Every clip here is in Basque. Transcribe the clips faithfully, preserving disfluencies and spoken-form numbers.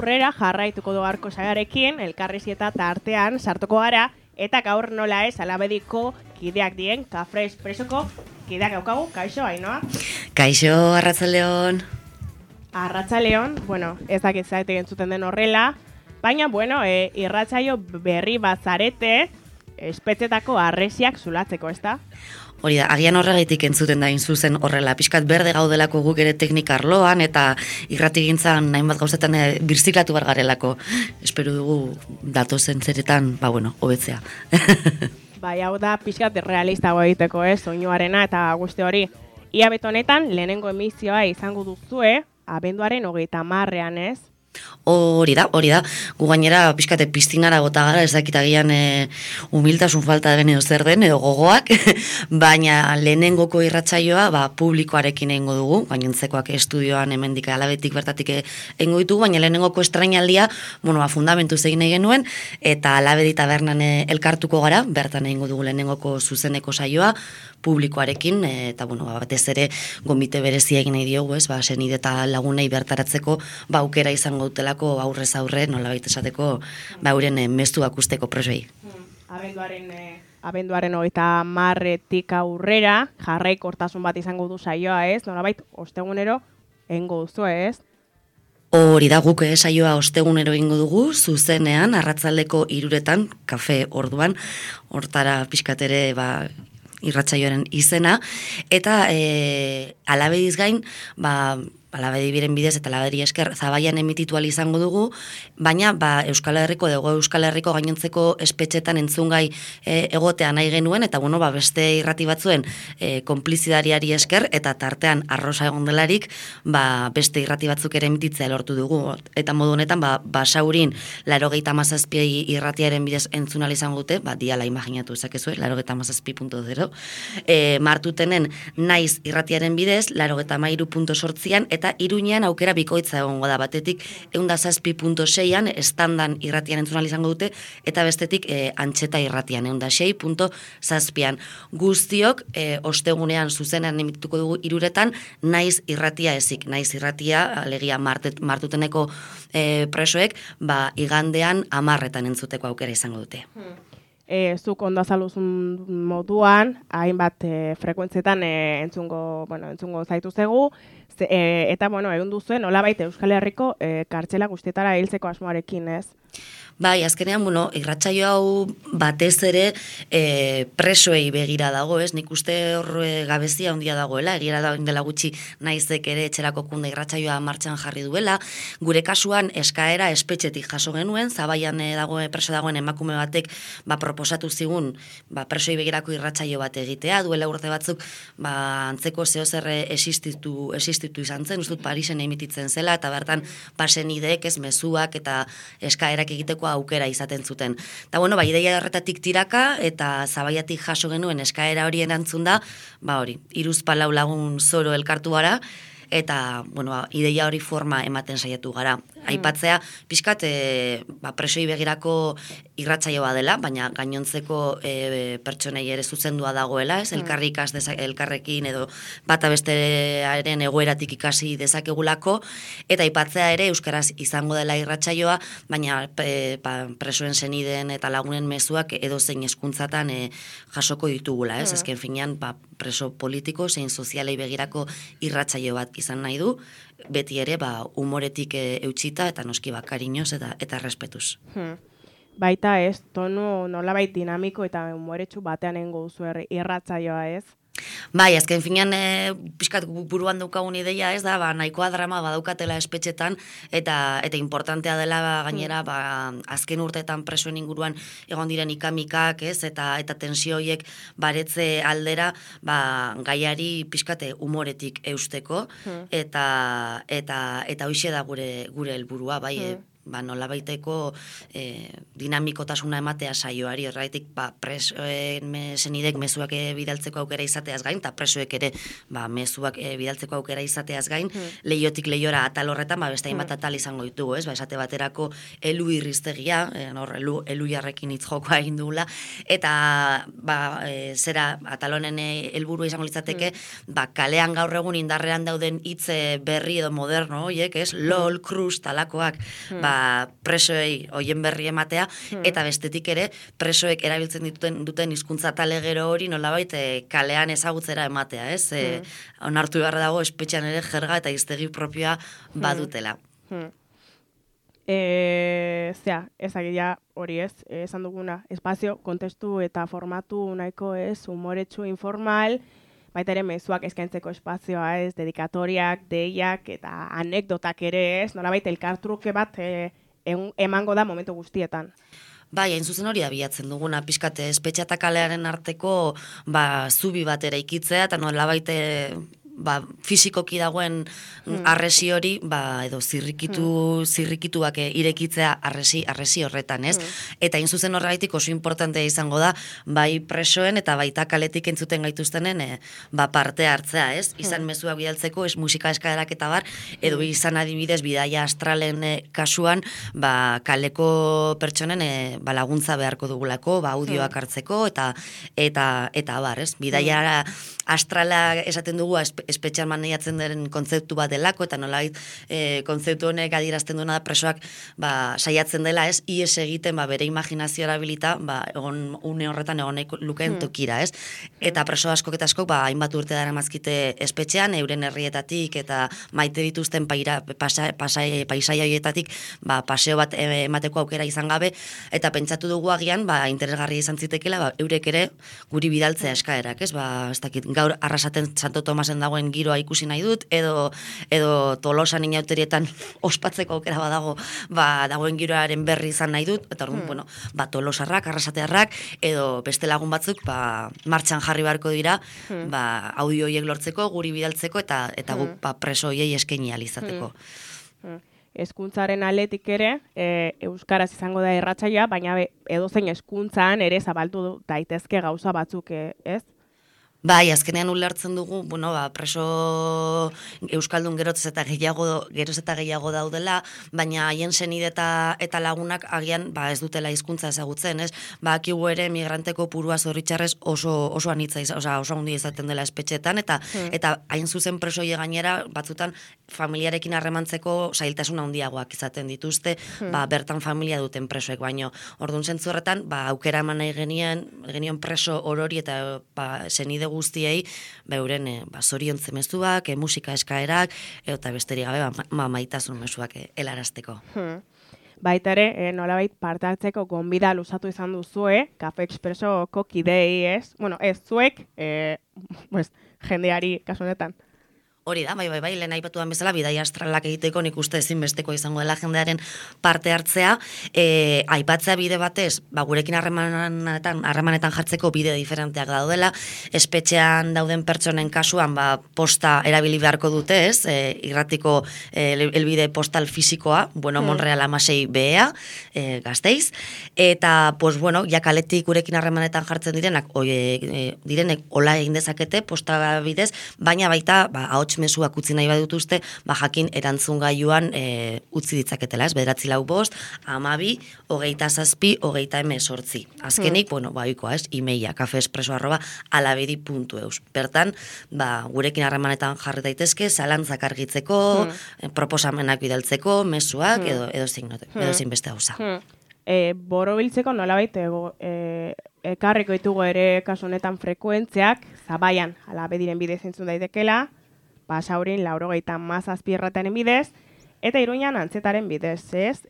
aurrera jarraituko du gaurko sagarekin, elkarrizketa tartean sartuko gara, eta gaur nola ez alabediko kideak dien, Kafre Espresoko kideak daukagu, kaixo, Ainoa? Kaixo, Arratzaleon. Arratzaleon, bueno, ez dakit zaite entzuten den horrela, baina, bueno, e, irratsaio berri bat zarete, espetzetako harresiak zulatzeko, ez da? Hori da, agian horregatik entzuten da zuzen horrela, pixkat berde gaudelako guk ere teknika arloan, eta irratigintzan nahin bat gauzetan e, birziklatu bar garelako. Espero dugu datozen zeretan, ba bueno, hobetzea. Bai, hau da pixkat realistago egiteko, ez, soinuarena eta guzti hori. Ia betonetan, lehenengo emizioa izango duzue, abenduaren hogeita hamarrean, ez? Hori da, hori da. Gu gainera pixkate piztinara bota gara, ez dakitagian e, humiltasun falta den edo zer den, edo gogoak, baina lehenengoko irratsaioa ba, publikoarekin egingo dugu, gainontzekoak estudioan hemendik alabetik bertatik egingo ditugu, baina lehenengoko estrainaldia, bueno, ba, fundamentuz egin egin nuen, eta alabedi tabernan e, elkartuko gara, bertan egingo dugu lehenengoko zuzeneko saioa, publikoarekin, eta bueno, ba, batez ere gomite berezia egin nahi diogu, ez, ba, senide eta lagunei bertaratzeko, ba, aukera izango dutelako aurrez aurre, nolabait esateko, ba, euren e, mezuak usteko presoi. Abenduaren, e, abenduaren hogeita hamarretik aurrera, jarraikortasun bat izango du saioa, ez, nolabait ostegunero egingo duzu, ez? Hori da, guk saioa ostegunero egingo dugu, zuzenean, arratzaldeko hiruretan, kafe orduan, hortara pixkatere, ba, irratsaioaren izena, eta e, alabediz gain, ba, alabedi biren bidez eta alabedi esker Zabaian emititu ahal izango dugu, baina ba, Euskal Herriko, Hego Euskal Herriko gainontzeko espetxetan entzungai e, egotea nahi genuen, eta bueno, ba, beste irrati batzuen e, konplizidariari esker, eta tartean arrosa egon delarik, ba, beste irrati batzuk ere emititzea lortu dugu. Eta modu honetan, ba, Basaurin larogeita hamazazpi irratiaren bidez entzun ahal izango dute, ba, diala imaginatu ezakezue, larogeita hamazazpi puntu zero, e, Martutenen naiz irratiaren bidez, larogeita hamairu puntu zortzian, eta Iruñean aukera bikoitza egongo da, batetik ehun eta zazpi puntu seian estandan irratian entzun ahal izango dute, eta bestetik e, antxeta irratian ehun eta sei puntu zazpian. Guztiok e, ostegunean zuzenean emitituko dugu hiruretan naiz irratia ezik, naiz irratia alegia martet, martuteneko e, presoek, ba, igandean hamarretan entzuteko aukera izango dute. Hmm. E, zuk ondo azaluzun moduan, hainbat e, frekuentzetan e, entzungo, bueno, entzungo zaitu zegu, ze, e, eta bueno, egun duzuen, nolabait Euskal Herriko e, kartxela guztietara hiltzeko asmoarekin, ez? Bai, azkenean, bueno, irratsaio hau batez ere e, presoei begira dago, ez? Nik uste hor e, gabezia handia dagoela, egira da dela gutxi naizek ere etxerako kunde irratsaioa martxan jarri duela. Gure kasuan eskaera espetxetik jaso genuen, Zabaian e, dago, preso dagoen emakume batek ba, proposatu zigun ba, presoei begirako irratsaio bat egitea, duela urte batzuk ba, antzeko zehozer existitu, existitu izan zen, ustut Parisen emititzen zela, eta bertan pasen ideek ez mezuak eta eskaerak egiteko aukera izaten zuten. Eta bueno, ba, ideia horretatik tiraka, eta Zabaiatik jaso genuen eskaera hori erantzun da, ba hori, hiruzpalau lagun zoro elkartu gara, eta, bueno, ba, ideia hori forma ematen saiatu gara. Aipatzea, pixkat, e, ba, presoi begirako irratsaioa dela, baina gainontzeko e, pertsonei ere zuzendua dagoela, ez? Elkarri ikas dezak, elkarrekin edo bata bestearen egoeratik ikasi dezakegulako, eta aipatzea ere euskaraz izango dela irratsaioa, baina e, ba, presoen senideen eta lagunen mezuak edo zein hezkuntzatan e, jasoko ditugula, ez? Mm. Ezken finean, ba, preso politiko, zein sozialei begirako irratsaio bat izan nahi du, beti ere ba, humoretik e, eutxita eta noski ba, kariñoz eta, eta respetuz. Hmm. Baita ez, tonu nolabait dinamiko eta humoretsu batean engo duzu irratsaioa, ez? Bai, azken finean e, pixkat buruan daukagun ideia ez da, ba, nahikoa drama badaukatela espetxetan, eta eta importantea dela ba, gainera ba, azken urteetan presoen inguruan egon diren ikamikak, ez, eta eta tensio horiek baretze aldera, ba, gaiari pixkate humoretik eusteko, hmm. eta eta eta hoixe da gure gure helburua, bai, hmm. ba, nolabaiteko e, dinamikotasuna ematea saioari, horregatik ba, presoen senidek mezuak e, bidaltzeko aukera izateaz gain, eta presoek ere ba, mezuak e, bidaltzeko aukera izateaz gain, hmm. leiotik leiora atal horretan, ba, beste hainbat atal izango ditugu, ez? Ba, esate baterako elu irriztegia, e, nor, elu, elu jarrekin hitz jokoa egin dugula, eta ba, e, zera atal honen helburu izango litzateke, hmm. ba, kalean gaur egun indarrean dauden hitz berri edo moderno, oiek, ez? LOL, krus, talakoak, hmm. ba, presoei hoien berri ematea, hmm. eta bestetik ere presoek erabiltzen dituten duten hizkuntza talegero hori nolabait e, kalean ezagutzera ematea, ez? E, hmm. Onartu behar dago espetxean ere jerga eta hiztegi propioa badutela. Hmm. E, zea, ezagia hori ez, esan duguna, espazio, kontestu eta formatu nahiko ez, humoretsu informal, baita ere mezuak eskaintzeko espazioa ez, dedikatoriak, deiak eta anekdotak ere ez, nolabait elkartruke bat e, emango da momentu guztietan. Bai, hain zuzen hori abiatzen duguna, pixkate espetxa eta kalearen arteko ba, zubi bat eraikitzea, eta nolabait ba, fisikoki dagoen hmm. arresi hori, ba, edo zirrikitu, hmm. zirrikituak irekitzea arresi, arresi horretan, ez? Hmm. Eta hain zuzen horregaitik oso importantea izango da, bai presoen eta baita kaletik entzuten gaituztenen e, ba, parte hartzea, ez? Izan hmm. mezuak bidaltzeko, ez musika eskaerak eta bar, edo izan adibidez bidaia astralen e, kasuan, ba, kaleko pertsonen e, ba, laguntza beharko dugulako, ba, audioak hmm. hartzeko, eta eta eta bar, ez? Bidaia hmm. astrala esaten dugu, espetxean maneiatzen den kontzeptu bat delako, eta nolait e, kontzeptu honek adierazten duena da presoak ba, saiatzen dela, ez, ies egiten ba, bere imaginazio erabilita, ba, egon une horretan egon lukeen hmm. tokira, ez? Eta preso askok eta askok, ba, hainbat urte dara mazkite espetxean, euren herrietatik, eta maite dituzten paira, pasa, pasai, paisaia horietatik, ba, paseo bat emateko aukera izan gabe, eta pentsatu dugu agian, ba, interesgarria izan zitekela, ba, eurek ere guri bidaltzea eskaerak, ez? Ba, ez dakit, gaur arrasaten Santo Tomasen dagoen giroa ikusi nahi dut, edo, edo Tolosan inauterietan ospatzeko aukera badago, ba, dagoen giroaren berri izan nahi dut, eta orduan, hmm. bueno, ba, Tolosarrak, arrasatearrak, edo beste lagun batzuk, ba, martxan jarri beharko dira, hmm. ba, audio horiek lortzeko, guri bidaltzeko, eta eta guk, ba, preso horiei eskaini ahal izateko. Hmm. Hmm. Hezkuntzaren aletik ere, e, euskaraz izango da irratsaioa, baina edozein hezkuntzan ere zabaldu daitezke gauza batzuk, ez? Bai, azkenean ulertzen dugu, bueno, ba, preso euskaldun geroz eta gehiago, geroz eta gehiago daudela, baina haien senide eta, eta lagunak agian ba, ez dutela hizkuntza ezagutzen, ez? Ba, akigu ere migranteko purua zorritxarrez oso, oso anitza, oza, oso handi izaten dela espetxetan, eta hmm. eta hain zuzen presoie gainera, batzutan familiarekin harremantzeko zailtasun handiagoak izaten dituzte, hmm. ba, bertan familia duten presoek, baino, orduan zentzu horretan, ba, aukera eman nahi genien, genion preso orori eta ba, senide guztiei, ba, euren e, ba, zoriontze mezuak, e, musika eskaerak, eta besterik gabe, ba, ma, maitasun mezuak e, helarazteko. Hmm. Baita ere, e, nolabait parte hartzeko gonbida luzatu izan duzue, Kafe Expressoko kidei, ez? Bueno, ez zuek, e, pues, jendeari kasu honetan. Hori da, bai, bai, bai, lehen aipatuan bezala, bidaia astralak egiteko nik uste ezinbesteko izango dela jendearen parte hartzea, e, aipatzea bide batez, ba, gurekin harremanetan, harremanetan jartzeko bide diferenteak daudela, espetxean dauden pertsonen kasuan, ba, posta erabili beharko dute, ez, e, irratiko e, elbide postal fisikoa, bueno, hmm. Monreal amasei bea, e, Gasteiz, eta, pues, bueno, jakaletik gurekin harremanetan jartzen direnak, oie, e, direnek hola egin dezakete, posta bidez, baina baita, ba, ahots mezuak utzi nahi badutuzte, ba jakin erantzun gailuan e, utzi ditzaketela, ez? Bederatzi lau bost, amabi, hogeita zazpi, hogeita emezortzi. Azkenik, hmm. bueno, ba, oikoa, ez? Imeia, kafeespreso arroba alabedi puntu eus. Bertan, ba, gurekin harremanetan jarri daitezke, zalantzak argitzeko, hmm. proposamenak bidaltzeko, mezuak, hmm. edo, edo zein note, hmm. edo zein beste hauza. Hmm. E, boro biltzeko nolabait, e, ekarriko ditugu ere kasu honetan frekuentziak, Zabaian, alabediren bidez entzun daitekela, Basaurin laurogeita mazazpierrataren bidez, eta Iruñan antzetaren bidez, ez?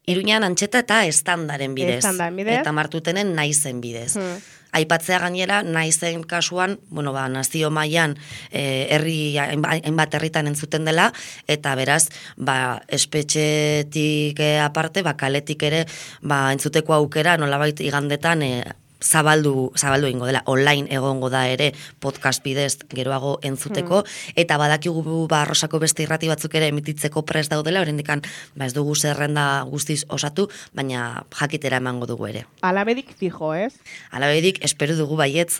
Iruñan antzeta eta estandaren bidez. Estandaren bidez. Eta Martutenen naizen bidez. Hmm. Aipatzea gainera, naizen kasuan, bueno, ba, nazio mailan eh, herri hainbat herritan entzuten dela, eta beraz, ba, espetxetik aparte, ba, kaletik ere, ba, entzuteko aukera, nolabait igandetan, eh, zabaldu, zabaldu ingo dela, online egongo da ere podcast bidez geroago entzuteko, hmm. eta badakigu ba, Arrosako beste irrati batzuk ere emititzeko prest daudela, oraindikan ba, ez dugu zerrenda guztiz osatu, baina jakitera emango dugu ere. Alabedik fijo, ez? Alabedik espero dugu baietz.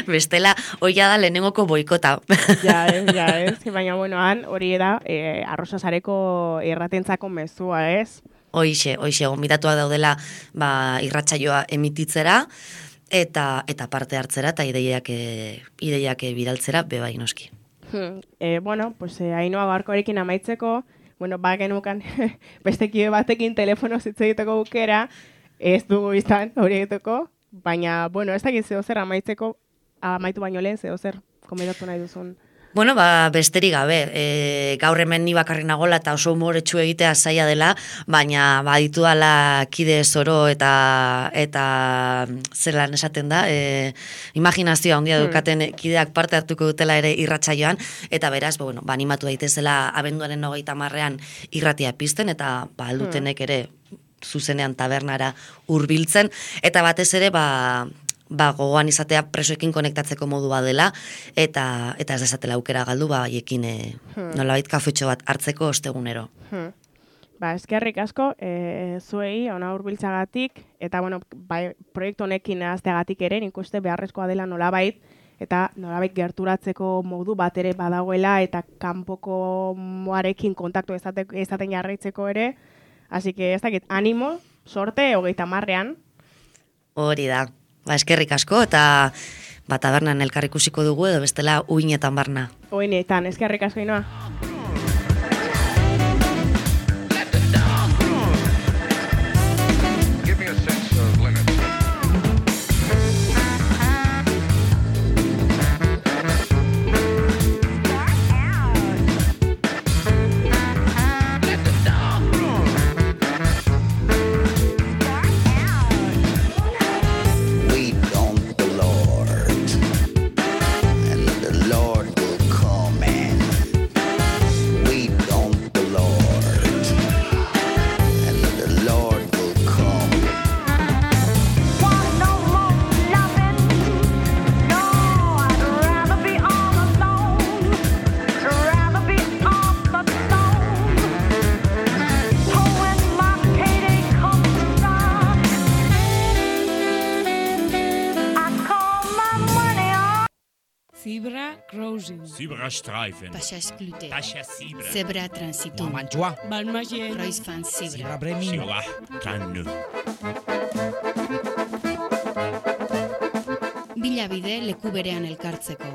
Bestela, hoia da lehenengoko boikota. Ja, ez, ja, ez. Baina, bueno, han hori da, e, Arrosasareko irratentzako mezua, ez? Hoixe, hoixe, gomitatuak daudela ba, irratsaioa emititzera, eta eta parte hartzera, eta ideiak, e, ideiak bidaltzera, bebai noski. Hmm. E, bueno, pues, e, Ainhoa gaurkoarekin amaitzeko, bueno, ba genukan beste kide batekin telefono hitz egiteko aukera, ez dugu izan hori egiteko, baina, bueno, ez dakit zeo zer amaitzeko, amaitu baino lehen zeo zer komentatu nahi duzun. Bueno, ba, besterik gabe, e, gaur hemen ni bakarri nagola eta oso humoretsu egitea zaila dela, baina baditu dala kide zoro eta eta zelan esaten da, e, imaginazioa handia dukaten kideak parte hartuko dutela ere irratsaioan, eta beraz, ba, bueno, ba, animatu daitezela abenduaren hogeita hamarrean irratia pizten, eta ba, aldutenek ere zuzenean tabernara hurbiltzen, eta batez ere, ba, ba, gogoan izatea presoekin konektatzeko modua dela, eta eta ez desatela aukera galdu, ba, haiekin e, hmm. nolabait kafetxo bat hartzeko ostegunero. Hmm. Ba, eskerrik asko, e, zuei, ona hurbiltzagatik, eta, bueno, bai, proiektu honekin ahazteagatik ere, nik uste beharrezkoa dela nolabait, eta nolabait gerturatzeko modu bat ere badagoela, eta kanpoko moarekin kontaktu ezaten jarraitzeko ere, así que ez dakit, animo, sorte, hogeita marrean. Hori da. Ba, eskerrik asko, eta ba, tabernan elkar ikusiko dugu, edo bestela uinetan barna. Uinetan, eskerrik asko, Ainhoa. Streifen. Pashas Glute. Tasha Sibra. Zebra Transitum. Mantua. Balmagen. Roisfan Sibra. Sibra Bremi. Sibra Kannu. Bilabide leku berean elkartzeko.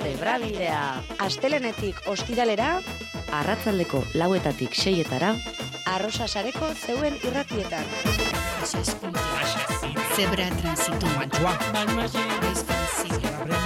Zebra bidea. Astelenetik ostiralera, arratzaldeko lauetatik seietara, Arrosasareko zeuen irratietan. Pashas Glute. Tasha Sibra. Zebra Transitum. Mantua. Balmagen. Roisfan Sibra.